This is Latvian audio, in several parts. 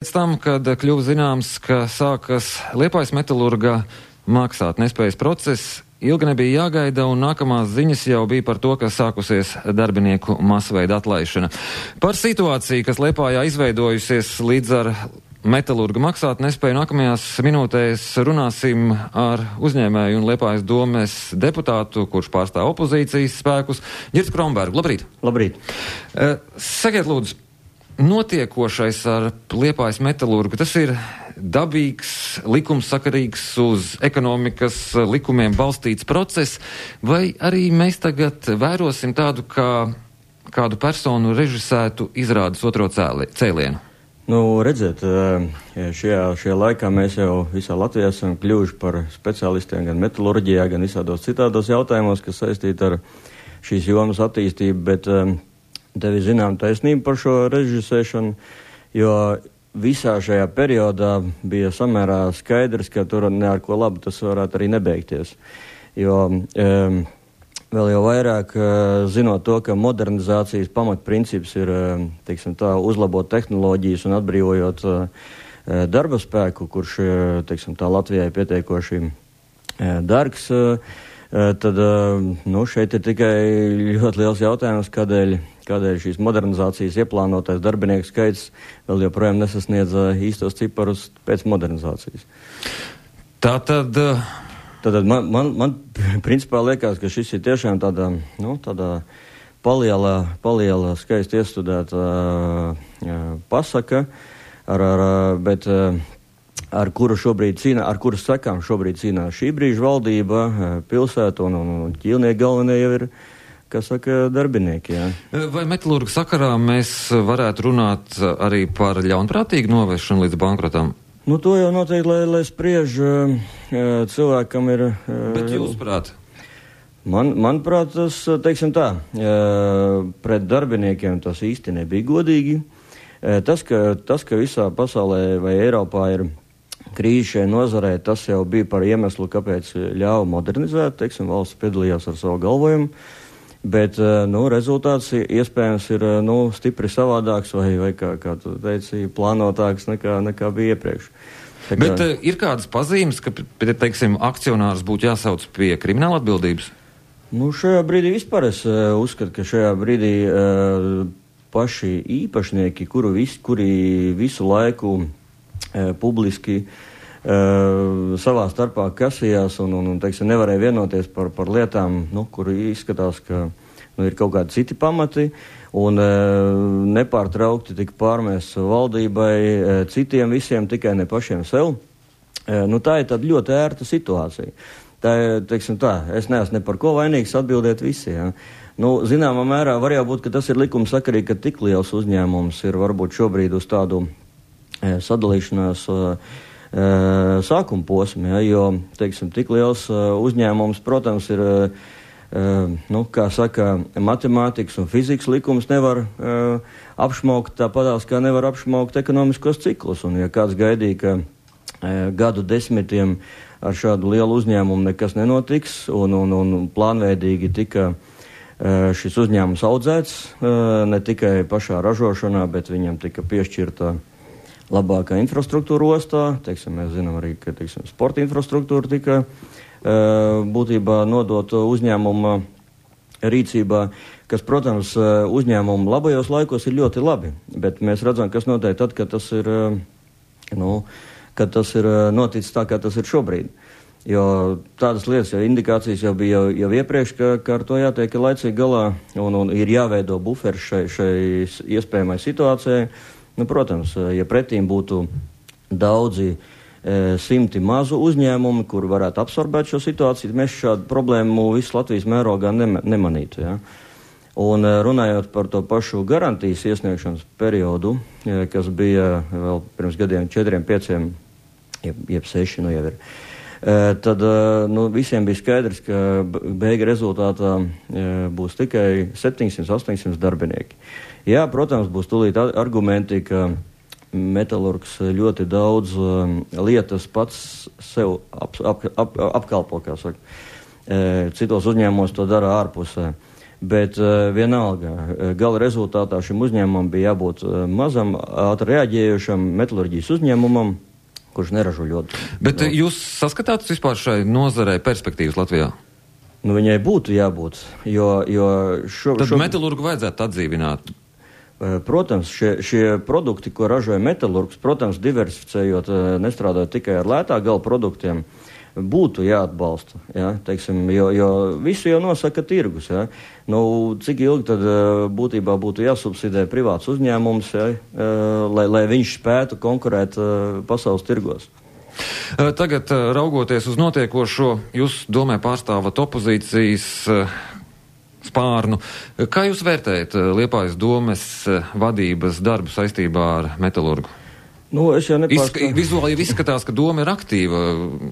Pēc tam, kad kļuva zināms, ka sākas Liepājas metalurga maksātnespējas process, ilgi nebija jāgaida, un nākamās ziņas jau bija par to, ka sākusies darbinieku masveida atlaišana. Par situāciju, kas Liepājā izveidojusies līdz ar metalurga maksātnespēju, nākamajās minūtēs runāsim ar uzņēmēju un Liepājas domes deputātu, kurš pārstāv opozīcijas spēkus, Girts Krombergu. Labrīt! Labrīt! Sakiet, lūdzu, notiekošais ar Liepājas metalurgu, tas ir dabīgs, likumsakarīgs, uz ekonomikas likumiem balstīts process, vai arī mēs tagad vērosim tādu, kā kādu personu režisētu izrādes otro cēlienu? Nu, redziet, šajā laikā mēs jau visā Latvijā esam kļuvuši par speciālistiem gan metalurģijā, gan visādos citādos jautājumos, kas saistīti ar šīs jomas attīstību, bet tev ir zinām taisnība par šo režisēšanu, jo visā šajā periodā bija samērā skaidrs, ka tur ne ar ko labu tas varētu arī nebeigties. Jo vēl jau vairāk zinot to, ka modernizācijas pamatprincips ir, teiksim tā, uzlabot tehnoloģijas un atbrīvojot darba spēku, kurš, teiksim tā, Latvijai pietiekoši dārgs, tad, šeit ir tikai ļoti liels jautājums, kādēļ šīs modernizācijas ieplānotais darbinieku skaits vēl joprojām nesasniedz īstos ciparus pēc modernizācijas. Tātad man principā liekas, ka šis ir tiešām tāda paliela skaisti iestudēta pasaka, bet ar kuras sekām šobrīd cīnās šī brīža valdība, pilsēta un ķīlnieki galvenie jau ir, kā saka, darbinieki. Jā. Vai metalurga sakarā mēs varētu runāt arī par ļaunprātīgu novešanu līdz bankrotam? Nu, to jau noteikti, lai spriež cilvēkam ir... Bet jūsuprāt? Manuprāt, tas, teiksim tā, pret darbiniekiem tas īsti nebija godīgi. Tas, ka visā pasaulē vai Eiropā ir krīze šai nozarē, tas jau bija par iemeslu, kāpēc ļāva modernizēt, teiksim, valsts piedalījās ar savu galvojumu, bet, rezultāts iespējams ir, stipri savādāks vai kā tu teici, plānotāks nekā bija iepriekš. Bet ir kādas pazīmes, ka, teiksim, akcionārs būtu jāsauc pie krimināla atbildības? Šajā brīdī vispār es uzskatu, ka šajā brīdī paši īpašnieki, kuri visu laiku publiski savā starpā kasījās un teiksim, nevarēja vienoties par lietām, kur izskatās, ka ir kaut kādi citi pamati un nepārtraukti tika pārmēsts valdībai, citiem visiem, tikai ne pašiem sev. Tā ir tāda ļoti ērta situācija. Tā ir, teiksim tā, es neesmu ne par ko vainīgs atbildēt visi, ja. Zināmā mērā var jau būt, ka tas ir likumsakarīgi, ka tik liels uzņēmums ir varbūt šobrīd uz tādu sadalīšanās sākuma posmu, ja, jo, teiksim, tik liels uzņēmums, protams, ir, kā saka, matemātikas un fizikas likums nevar apšmaukt tāpatās, kā nevar apšmaukt ekonomiskos ciklus, un ja kāds gaidīja, ka gadu desmitiem ar šādu lielu uzņēmumu nekas nenotiks, un plānveidīgi tika šis uzņēmums audzēts, ne tikai pašā ražošanā, bet viņam tika piešķirta labākā infrastruktūra ostā, teiksim, mēs zinām arī, ka, teiksim, sporta infrastruktūra tika būtībā nodota uzņēmuma rīcībā, kas, protams, uzņēmumu labajos laikos ir ļoti labi, bet mēs redzam, kas notiek tad, kad tas ir, kad tas ir noticis tā, kā tas ir šobrīd. Jo tādas lietas, indikācijas jau bija jau iepriekš, ka ar to jātiek laicīgi galā un ir jāveido buferi šai iespējamai situācijai. Protams, ja pretīm būtu daudzi simti mazu uzņēmumu, kur varētu absorbēt šo situāciju, mēs šādu problēmu visu Latvijas mērogā nemanītu. Ja? Un runājot par to pašu garantijas iesniegšanas periodu, kas bija vēl pirms gadiem 4, 5, jeb 6, jau ir, tad visiem bija skaidrs, ka beiga rezultātā būs tikai 700-800 darbinieki. Jā, protams, būs tūlīt argumenti, ka metalurgs ļoti daudz lietas pats sev apkalpo, kā saka. Citos uzņēmumos to dara ārpusē. Bet vienalga, gala rezultātā šim uzņēmumam bija jābūt mazam, ātri reaģējušam metalurģijas uzņēmumam, kurš neražo ļoti. Bet jūs saskatāt vispār šai nozarei perspektīvas Latvijā? Nu, viņai būtu jābūt, jo Tad metalurgu vajadzētu atdzīvināt. Protams, šie produkti, ko ražoja metalurgs, protams, diversificējot, nestrādājot tikai ar lētā gala produktiem, būtu jāatbalsta, ja, teiksim, jo visu jau nosaka tirgus, ja. Nu, cik ilgi tad būtībā būtu jāsubsidē privāts uzņēmums, ja, lai viņš spētu konkurēt pasaules tirgos. Tagad, raugoties uz notiekošo, jūs domē pārstāvat opozīcijas spārnu. Kā jūs vērtējat Liepājas domes vadības darbu saistībā ar metalurgu? Nu, es jau nepārstāvu. Vizuāli jau izskatās, ka doma ir aktīva.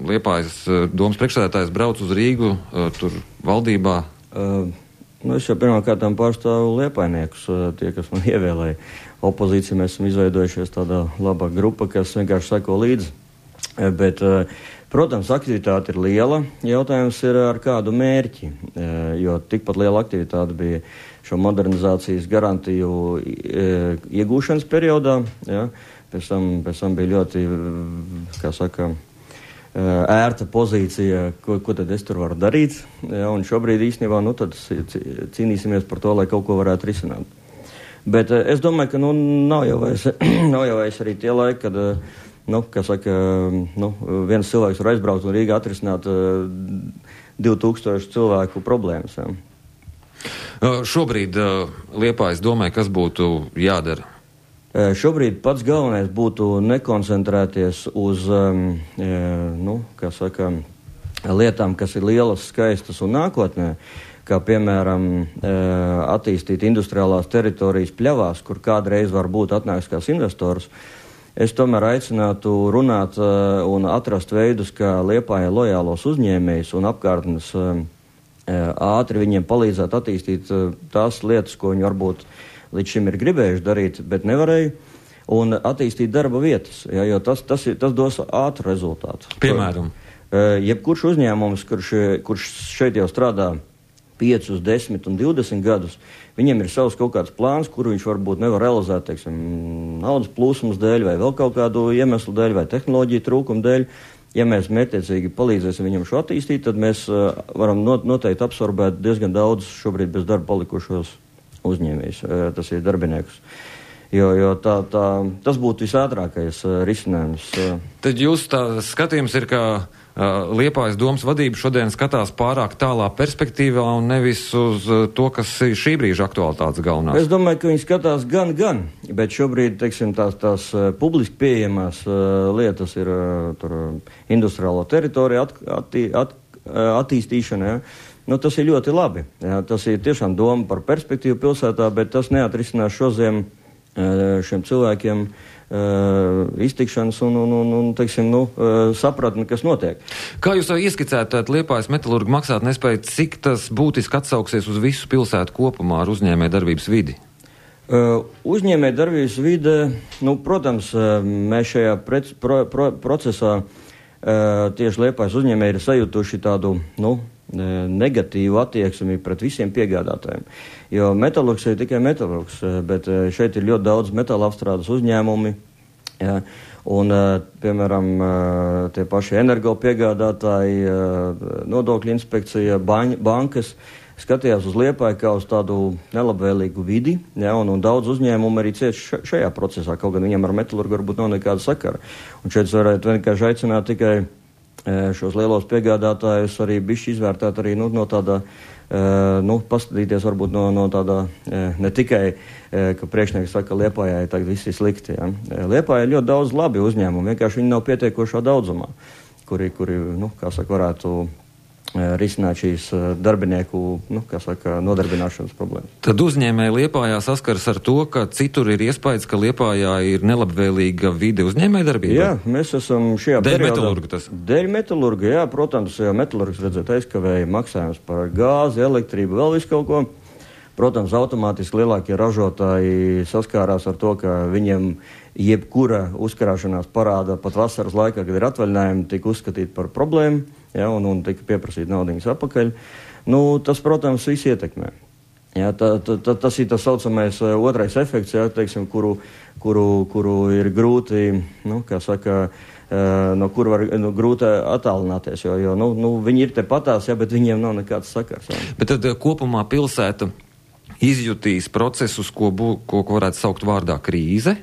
Liepājas domas priekšsēdētājs brauc uz Rīgu, tur valdībā. Es jau pirmkārtām pārstāvu liepainiekus, tie, kas man ievēlēja. Opozīcija mēs esam izveidojušies tādā labā grupa, kas vienkārši seko līdzi. Bet, protams, aktivitāte ir liela. Jautājums ir ar kādu mērķi, jo tikpat liela aktivitāte bija šo modernizācijas garantiju iegūšanas periodā. Ja. Pēc tam bija ļoti, kā saka, ērta pozīcija, ko tad es tur varu darīt. Ja, un šobrīd īstenībā tad cīnīsimies par to, lai kaut ko varētu risināt. Bet es domāju, ka nav jau vairs arī tie laiki, kad viens cilvēks var aizbraukt un Rīgā atrisināt 2000 cilvēku problēmas. Ja. Šobrīd Liepājas domāju, kas būtu jādara? Šobrīd pats galvenais būtu nekoncentrēties uz lietām, kas ir lielas, skaistas un nākotnē, kā piemēram attīstīt industriālās teritorijas pļavās, kur kādreiz var būt atnāks kāds investors. Es tomēr aicinātu runāt un atrast veidus, kā Liepājai lojālos uzņēmējus un apkārtnes ātri viņiem palīdzēt attīstīt tās lietas, ko viņi varbūt līdz šim ir gribējuši darīt, bet nevarēja, un attīstīt darba vietas, ja, jo tas dos ātru rezultātu. Piemēram? Jebkurš uzņēmums, kurš šeit jau strādā 5, 10 un 20 gadus, viņiem ir savs kaut kāds plāns, kuru viņš varbūt nevar realizēt, teiksim, naudas plūsmas dēļ, vai vēl kaut kādu iemeslu dēļ, vai tehnoloģiju trūkumu dēļ. Ja mēs mērķtiecīgi palīdzēsim viņam šo attīstīt, tad mēs varam noteikti absorbēt diezgan daudz šobrīd bez darba palikušos uzņēmējus, tas ir darbiniekus. Jo tas būtu visātrākais risinājums. Tad jūs tā skatījums ir, ka Liepājas domas vadība šodien skatās pārāk tālā perspektīvā un nevis uz to, kas ir šī brīža aktualitātes galvenās? Es domāju, ka viņi skatās gan, bet šobrīd, teiksim, tās publiski pieejamās lietas ir tur industriālo teritoriju attīstīšana, ja? Tas ir ļoti labi. Ja? Tas ir tiešām doma par perspektīvu pilsētā, bet tas neatrisinās šodien šiem cilvēkiem iztikšanas un teiksim, sapratni, kas notiek. Kā jūs ieskicētu Liepājas metalurgu maksāt nespēju, cik tas būtiski atsauksies uz visu pilsētu kopumā ar uzņēmē darbības vidi? Uzņēmē darbības vide, protams, mēs šajā procesā tieši Liepājas uzņēmē ir sajutuši tādu, negatīvu attieksmi pret visiem piegādātājiem. Jo metalurgs ir tikai metalurgs, bet šeit ir ļoti daudz metāla apstrādes uzņēmumi, ja, un, piemēram, tie paši energo piegādātāji, nodokļu inspekcija, bankas skatījās uz Liepāju kā uz tādu nelabvēlīgu vidi, ja, un daudz uzņēmumu arī cieši šajā procesā, kaut gan viņam ar metalurgu varbūt nav nekāda sakara. Un šeit varētu vienkārši aicināt tikai šos lielos piegādātājus arī bišķi izvērtēt arī no tādā, paskatīties varbūt no tādā, ne tikai, ka priekšnieks saka, ka Liepājai tagad viss ir slikti. Ja. Liepājai ir ļoti daudz labi uzņēmumi, vienkārši viņi nav pietiekošā daudzumā, kuri varētu risināt šīs darbinieku, nodarbināšanas problēmas. Tad uzņēmēji Liepājā saskaras ar to, ka citur ir iespējas, ka Liepājā ir nelabvēlīga vide uzņēmēji darbībā? Jā, mēs esam šajā periodā. Dēļ metalurga tas? Dēļ metalurga, jā, protams, jo metalurgs, redzēt, aizkavēja maksājums par gāzi, elektrību, vēl visu kaut ko. Protams, automātiski lielākie ražotāji saskārās ar to, ka viņiem jebkura uzkarāšanās parāda pat vasaras laikā, kad ir atvaļinājumi, tika uzskatīt par problēmu, ja, un tika pieprasīt naudiņas atpakaļ. Tas, protams, viss ietekmē. Jā, tas ir tas saucamais otrais efekts, jā, teiksim, kuru ir grūti, kā saka, no kura var grūti attālināties, jo viņi ir te patās, jā, bet viņiem nav nekāds sakars. Jā. Bet tad kopumā pilsēta izjutīs procesus, ko varētu saukt vārdā krīze?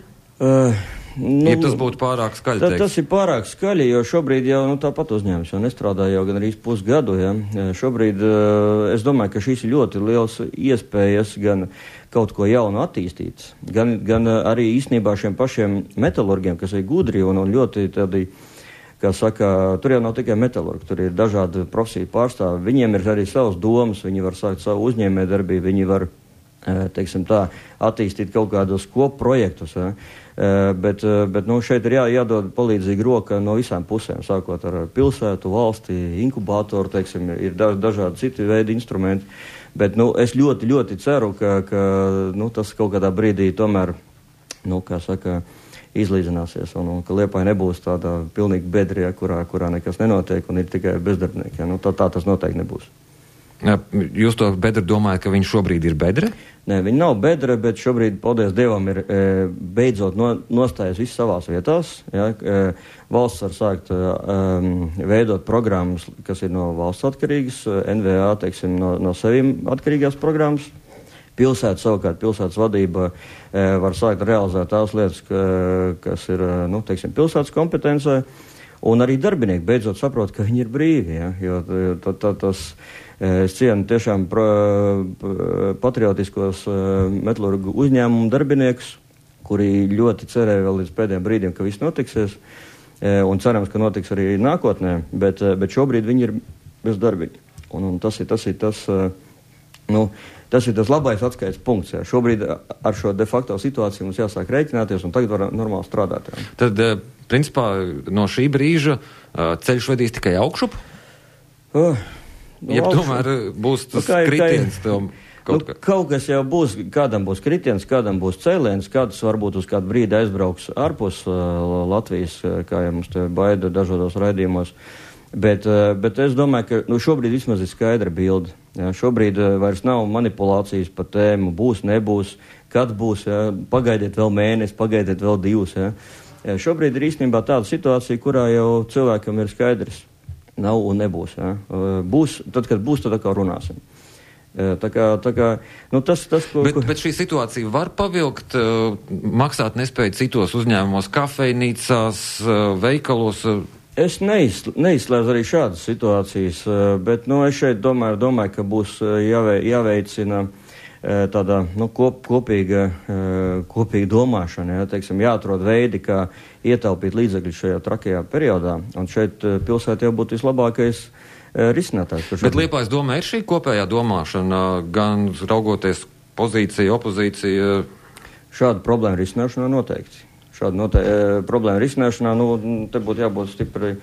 Ja tas būtu pārāk skaļi teikt? Tas ir pārāk skaļi, jo šobrīd jau tāpat uzņēmums jau nestrādā jau gan arī pusgadu. Ja. Šobrīd es domāju, ka šīs ir ļoti liels iespējas gan kaut ko jaunu attīstīt, gan arī īstenībā šiem pašiem metalurgiem, kas ir gudri un ļoti tādi, kā saka, tur jau nav tikai metalurgi, tur ir dažādi profesiju pārstāvi. Viņiem ir arī savas domas, viņi var sākt savu uzņēmējdarbību, viņi var, teiksim tā, attīstīt kaut kādus kopprojektus. Ja. Bet šeit ir jādod palīdzīga roka no visām pusēm, sākot ar pilsētu, valsti, inkubātoru, teiksim, ir dažādi citi veidi instrumenti. Bet es ļoti, ļoti ceru, ka tas kaut kādā brīdī tomēr, kā saka, izlīdzināsies un ka Liepāja nebūs tāda pilnīgi bedrija, kurā nekas nenotiek un ir tikai bezdarbnieki. Ja. Tā tas noteikti nebūs. Jūs to bedru domājat, ka viņš šobrīd ir bedre? Nē, viņi nav bedre, bet šobrīd, paldies Dievam, ir beidzot nostājas viss savās vietās. Ja, valsts var sākt veidot programmas, kas ir no valsts atkarīgas, NVA, teiksim, no sevim atkarīgās programmas. Pilsēta savukārt, pilsētas vadība var sākt realizēt tās lietas, kas ir, teiksim, pilsētas kompetencē. Un arī darbinieki beidzot saprot, ka viņi ir brīvi, ja, jo tas es cienu tiešām patriotiskos metalurgu uzņēmumu darbiniekus, kuri ļoti cerēja vēl līdz pēdējiem brīdiem, ka viss notiksies, un cerams, ka notiks arī nākotnē, bet šobrīd viņi ir bez darbiņa. Un tas ir tas labais atskaites punkts. Jā. Šobrīd ar šo de facto situāciju mums jāsāk rēķināties, un tagad var normāli strādāt. Jā. Tad, principā, no šī brīža ceļš vedīs tikai augšup? Jeb tomēr būs tas kritiens tev kaut kas jau būs, kādam būs kritiens, kādam būs cēliens, kāds varbūt uz kādu brīdi aizbrauks ārpus Latvijas, kā jau mums te baida dažādos raidījumos. Bet es domāju, ka šobrīd vismaz ir skaidra bilde. Ja, šobrīd vairs nav manipulācijas par tēmu, būs, nebūs, kad būs, ja, pagaidiet vēl mēnesi, pagaidiet vēl 2. Ja. Ja, šobrīd ir īstenībā tāda situācija, kurā jau cilvēkam ir skaidrs. Nav un nebūs. Ja. Būs, tad, kad būs, tad atkal runāsim. Tā kā, Bet šī situācija var pavilkt, maksāt nespēju citos uzņēmumos, kafejnīcās, veikalos? Es neizslēdzu arī šādas situācijas, bet es šeit domāju, ka būs jāveicina tāda kopīga domāšana, ja, teiksim, jāatrod veidi, kā ietaupīt līdzekļus šajā trakajā periodā, un šeit pilsēta jau būtu vislabākais risinātājs. Bet Liepājas domā ir šī kopējā domāšana, gan raugoties pozīcija, opozīcija? Šāda problēma risināšanā noteikti. Problēma risināšanā, te būtu jābūt stipri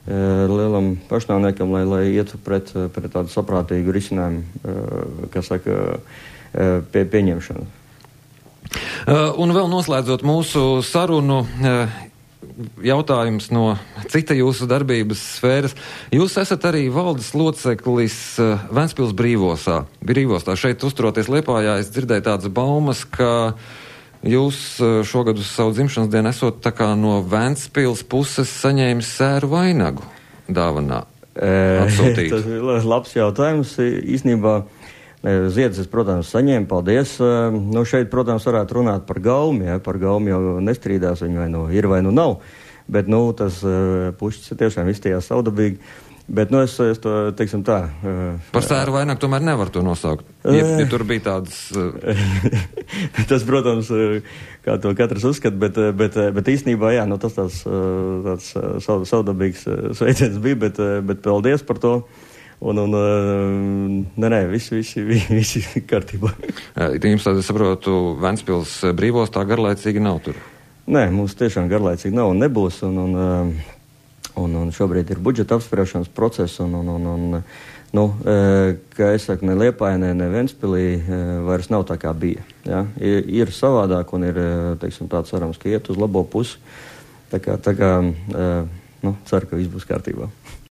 lielam pašnāvniekam, lai ietu pret tādu saprātīgu risinājumu, kas saka, pieņemšanu. Un vēl noslēdzot mūsu sarunu, jautājums no cita jūsu darbības sfēras. Jūs esat arī valdes loceklis Ventspils brīvostā. Šeit uzturoties Liepājā, es dzirdēju tādas baumas, ka jūs šogad uz savu dzimšanas dienu esot tā kā no Ventspils puses saņēmis sēru vainagu dāvanā atsūtīt. Tas ir labs jautājums. Īstenībā ziedus es, protams, saņēmu, paldies. Šeit, protams, varētu runāt par gaumi. Ja? Par gaumi jau nestrīdās, viņi vai ir vai nav. Bet, tas pušķis tiešām izstījās saudabīgi. Bet, es to, teiksim tā... Par sēru vainagu tomēr nevar to nosaukt, ja tur bija tādas... Tas, protams, kā to katrs uzskata, bet īstenībā, jā, tas tāds saudabīgs sveiciens bija, bet paldies par to. Visi kārtībā. Jums tāda, saprotu, Ventspils brīvostā garlaicīgi nav tur? Nē, mums tiešām garlaicīgi nav un nebūs, un šobrīd ir budžeta apspriešanas process, kā es saku, ne Liepājā, ne Ventspilī vairs nav tā kā bija. Ja? Ir savādāk un ir, teiksim, tāds cerams, ka iet uz labo pusi. Tā kā ceru, ka viss būs kārtībā.